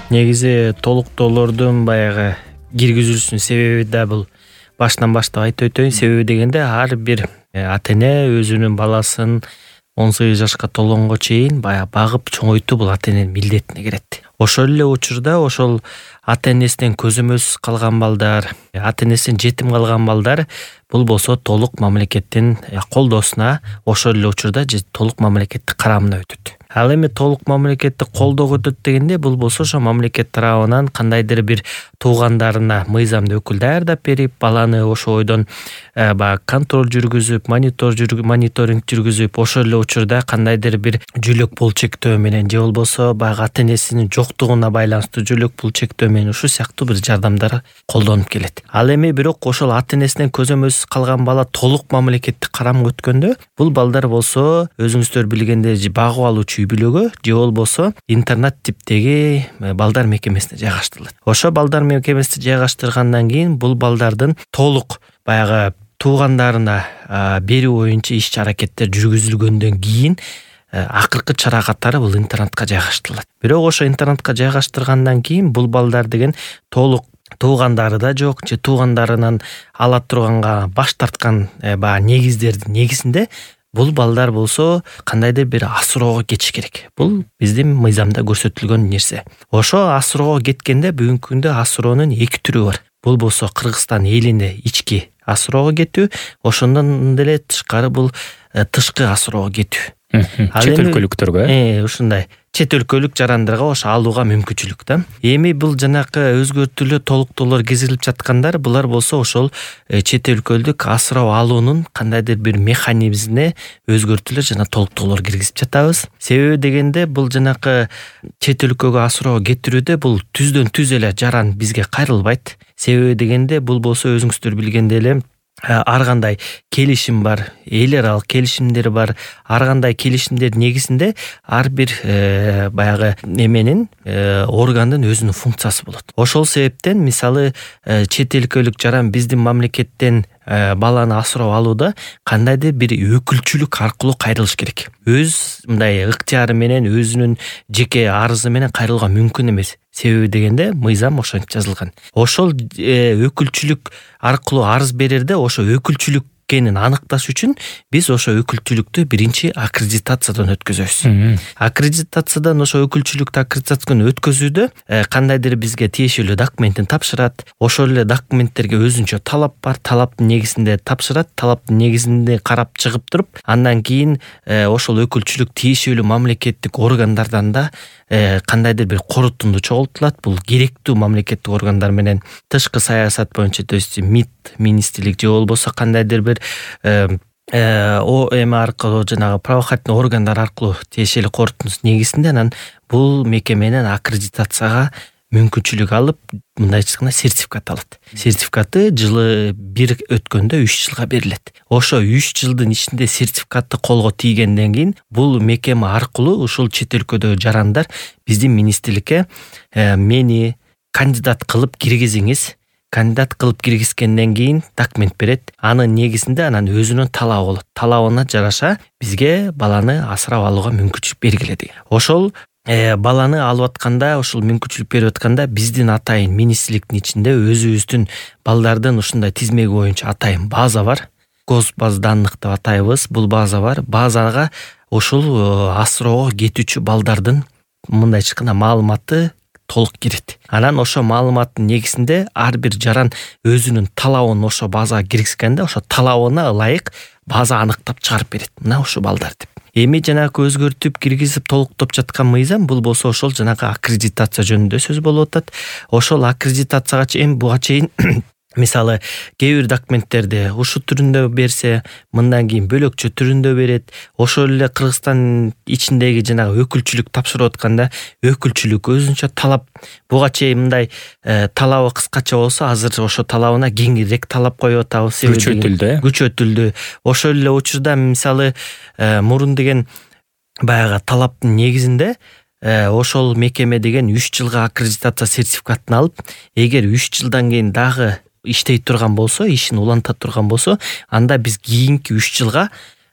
Негизи толуктоолордун баягы киргизилүүсүнүн себеби да бул башынан баштап айтып өтөйүн. Себеби дегенде ар бир ата эне өзүнүн баласын 18 жашка толгонго чейин баягы багып чоңойтуу бул ата эненин милдетине кирет. Ошол эле учурда ошол ата энесинен көзөмөлсүз калган балдар, ата энесинен жетим калган балдар бул болсо толук мамлекеттин колдоосуна, ошол эле учурда толук мамлекеттик карамына өтөт. Ал эми толук мамлекеттик колдоого өтөт дегенде бул болсо ошо мамлекет тарабынан кандайдыр бир туугандарына мыйзамдуу өкүл даярдап берип, баланы ошо бойдон баягы контроль жүргүзүп, мониторинг жүргүзүп, ошол эле учурда кандайдыр бир жөлөк бул чектөө менен же болбосо баягы ата энесинин жоктугуна байланыштуу жөлөк бул чектөө менен ушул сыяктуу бир жардамдар колдонуп келет. Ал эми бирок ошол ата энесинен көзөмөлсүз калган бала толук мамлекеттик карамга өткөндө бул балдар болсо өзүңүздөр билгендей багып алуучу үй бүлөгө же болбосо интернат типтеги балдар мекемесине жайгаштырылат. Ошо балдар мекемесине жайгаштыргандан кийин бул балдардын толук баягы туугандарына берүү боюнча иш-аракеттер жүргүзүлгөндөн кийин акыркы чара катары бул интернатка жайгаштырылат. Бирок ошо интернатка жайгаштыргандан кийин бул балдар деген толук туугандары да жок же туугандарынан ала турганга баш тарткан баягы негиздердин негизинде бул балдар болсо кандайдыр бир асыроого кетиш керек. Бул биздин мыйзамда көрсөтүлгөн нерсе. Ошо асыроого кеткенде бүгүнкү күндө асыроонун эки түрү бар. Бул болсо Кыргызстан элине ички асыроого кетүү, ошондон деле тышкары бул тышкы асыроого кетүү. Чет өлкөлүктөргө ушундай чет өлкөлүк жарандарга ошо алууга мүмкүнчүлүк да. Эми бул жанакы өзгөртүүлөр толуктоолор киргизилип жаткандар, булар болсо ошол чет өлкөлүк асырап алуунун кандайдыр бир механизмине өзгөртүүлөр жана толуктоолор киргизип жатабыз. Себеби дегенде бул жанакы чет өлкөгө асыроо кетирүүдө бул түздөн түз эле жаран бизге кайрылбайт. Себеби дегенде бул болсо өзүңүздөр билгендей эле ар кандай келишим бар, эл аралык келишимдер бар. Ар кандай келишимдердин негизинде ар бир баягы эменин органдын өзүнүн функциясы болот. Ошол себептен мисалы чет өлкөлүк жаран биздин мамлекеттен баланы асырап алууда кандайдыр бир өкүлчүлүк аркылуу кайрылыш керек. Өз мындай ыктыяры менен, өзүнүн жеке арызы менен кайрылууга мүмкүн эмес. Себеби дегенде мыйзам ошентип жазылган. Ошол өкүлчүлүк аркылуу арыз берерде ошо өкүлчүлүк экенин аныкташ үчүн биз ошо өкүлчүлүктү биринчи аккредитациядан өткөзөбүз. Аккредитациядан ошо өкүлчүлүктү аккредитациядан өткөзүүдө кандайдыр бизге тиешелүү документин тапшырат. Ошол эле документтерге өзүнчө талап бар. Талаптын негизинде тапшырат. Талаптын негизинде карап чыгып туруп, андан кийин ошол өкүлчүлүк тиешелүү мамлекеттик органдардан да кандайдыр бир корутунду чогултулат. Бул керектүү мамлекеттик органдар менен тышкы саясат боюнча, то есть МИД министрлик же болбосо кандайдыр бир эме аркылуу жанагы правоохранительный органдар аркылуу тиешелүү корутундусунун негизинде анан бул мекеменин аккредитацияга мүмкүнчүлүк алып, мындайча айтканда сертификат алат. Сертификаты жылы бир өткөндө 3 жылга берилет. Ошо 3 жылдын ичинде сертификатты колго тийгенден кийин бул мекеме аркылуу ушул чет өлкөдөгү жарандар биздин министрликке мени кандидат кылып киргизиңиз. Кандидат кылып киргизгенден кийин документ берет. Анын негизинде анан өзүнүн талабы болот. Талабына жараша бизге баланы асырап алууга мүмкүнчүлүк бергиле деген. Ошол баланы алып атканда, ошол мүмкүнчүлүк берип атканда биздин атайын министрликтин ичинде өзүбүздүн балдардын ушундай тизмеги боюнча атайын база бар. Госбаза данных деп атайбыз. Бул база бар. Базага ушул асыроого кетүүчү балдардын мындайча айтканда маалыматы толук кирет. Анан ошо маалыматтын негизинде ар бир жаран өзүнүн талабын ошо базага киргизгенде, ошо талабына ылайык база аныктап чыгарып берет. Мына ушул балдар деп. Эми жанагы өзгөртүп киргизип толуктоп жаткан мыйзам бул болсо ошол жанагы аккредитация жөнүндө сөз болуп атат. Ошол аккредитацияга чейин буга чейин мисалы кээ бир документтерди ушу түрүндө берсе, мындан кийин бөлөкчө түрүндө берет. Ошол эле Кыргызстан ичиндеги жанагы өкүлчүлүк тапшырып атканда өкүлчүлүк өзүнчө талап. Буга чейин мындай талабы кыскача болсо, азыр ошо талабына кеңирээк талап коюп атабыз. Күчөтүлдү. Ошол эле учурда мисалы мурун деген баягы талаптын негизинде ошол мекеме деген 3 жылга аккредитация сертификатын алып, эгер 3 жылдан кийин дагы иштей турган болсо, ишин уланта турган болсо, анда биз кийинки 3 жылга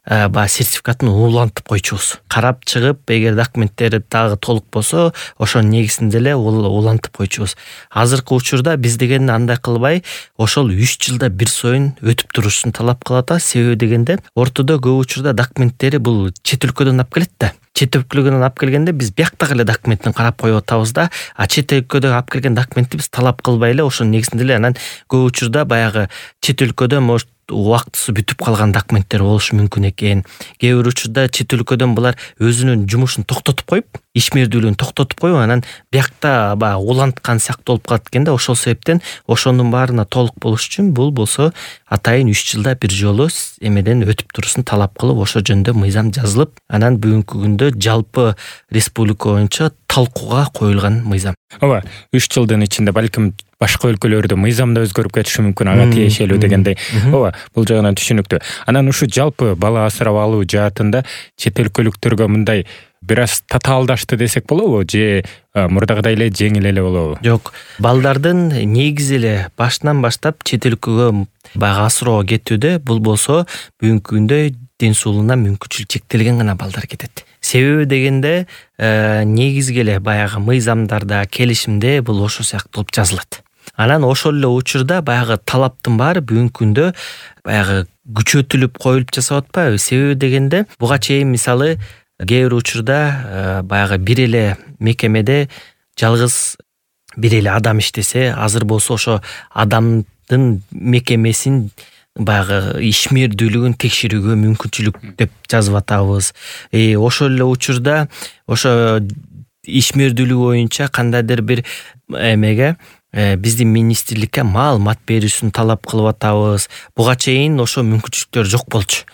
баягы сертификатын улантып койчубуз. Карап чыгып, эгер документтери дагы толук болсо, ошонун негизинде эле улантып койчубуз. Азыркы учурда биз деген андай кылбай, ошол 3 жылда бир союн өтүп турушун талап кылып атабыз. Себеби дегенде, ортодо көп учурда документтери бул чет өлкөдөн алып келет да. Чет өлкөдөн алып келгенде биз бияктагы эле документин карап коюп атабыз да, чет өлкөдөн алып келген документти биз талап кылбай эле ошонун негизинде эле анан көп учурда баягы чет өлкөдөн может убактысы бүтүп калган документтер болушу мүмкүн экен. Кээ бир учурда чет өлкөдөн булар өзүнүн жумушун токтотуп коюп, ишмердүүлүгүн токтотуп коюп, анан биякта баягы уланткан сыяктуу болуп калат экен да. Ошол себептен ошонун баарына толук болуш үчүн бул болсо атайын 3 жылда бир жолу эмеден өтүп турушун талап кылып, ошол жөнүндө мыйзам жазылып, анан бүгүнкү күндө жалпы республика боюнча талкууга коюлган мыйзам. Ооба, 3 жылдын ичинде балким башка өлкөлөрдө мыйзам да өзгөрүп кетиши мүмкүн, ага тиешелүү дегендей. Ооба, бул жагынан түшүнүктүү. Анан ушу жалпы бала асырап алуу жаатында чет өлкөлүктөргө мындай бир аз татаалдашты десек болобу же мурдагыдай эле жеңил эле болобу? Жок, балдардын негизи эле башынан баштап чет өлкөгө баягы асыроого кетүүдө бул болсо бүгүнкү күндө ден соолугуна мүмкүнчүлүк чектелген гана балдар кетет. Себеби дегенде негизги эле баягы мыйзамдарда, келишимде бул ошол сыяктуу болуп жазылат. Анан ошол эле учурда баягы талаптын баары бүгүнкү күндө баягы күчөтүлүп коюлуп жасап атпайбы? Себеби дегенде буга чейин мисалы кээ бир учурда баягы бир эле мекемеде жалгыз бир эле адам иштесе, азыр болсо ошо адамдын мекемесин баягы ишмердүүлүгүн текшерүүгө мүмкүнчүлүк деп жазып атабыз. Ошол эле учурда ошо ишмердүүлүк боюнча кандайдыр бир эмеге биздин министрликке маалымат берүүсүн талап кылып атабыз. Буга чейин ошо мүмкүнчүлүктөр жок болчу.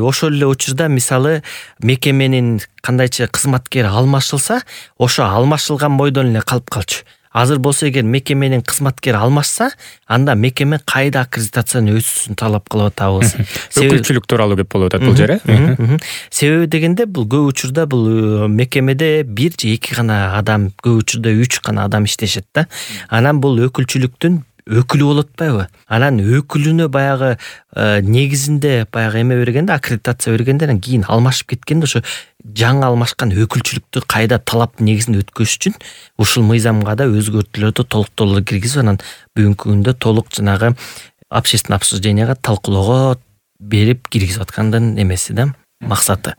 Ошол эле учурда мисалы мекеменин кандайча кызматкери алмашылса, ошо алмашылган бойдон эле калып калчу. Азыр болсо эгер мекеменин кызматкери алмашса, анда мекеме кайда аккредитацияны өтүүсүн талап кылып атабыз. Өкүлчүлүк тууралуу кеп болуп атат бул жер, Себеби дегенде бул көп учурда бул мекемеде 1 же 2 гана адам, көп учурда 3 гана адам иштешет да. Анан бул өкүлчүлүктүн өкүлү болуп атпайбы? Анан өкүлүнө баягы негизинде баягы эме бергенде, аккредитация бергенде, анан кийин алмашып кеткенде ошо жаңы алмашкан өкүлчүлүктү кайда талаптын негизинде өткөзүш үчүн ушул мыйзамга да өзгөртүүлөрдү толуктоолор киргизип, анан бүгүнкү күндө толук жанагы общественное обсужденияга талкуулоого берип киргизип аткандын эмеси да, максаты.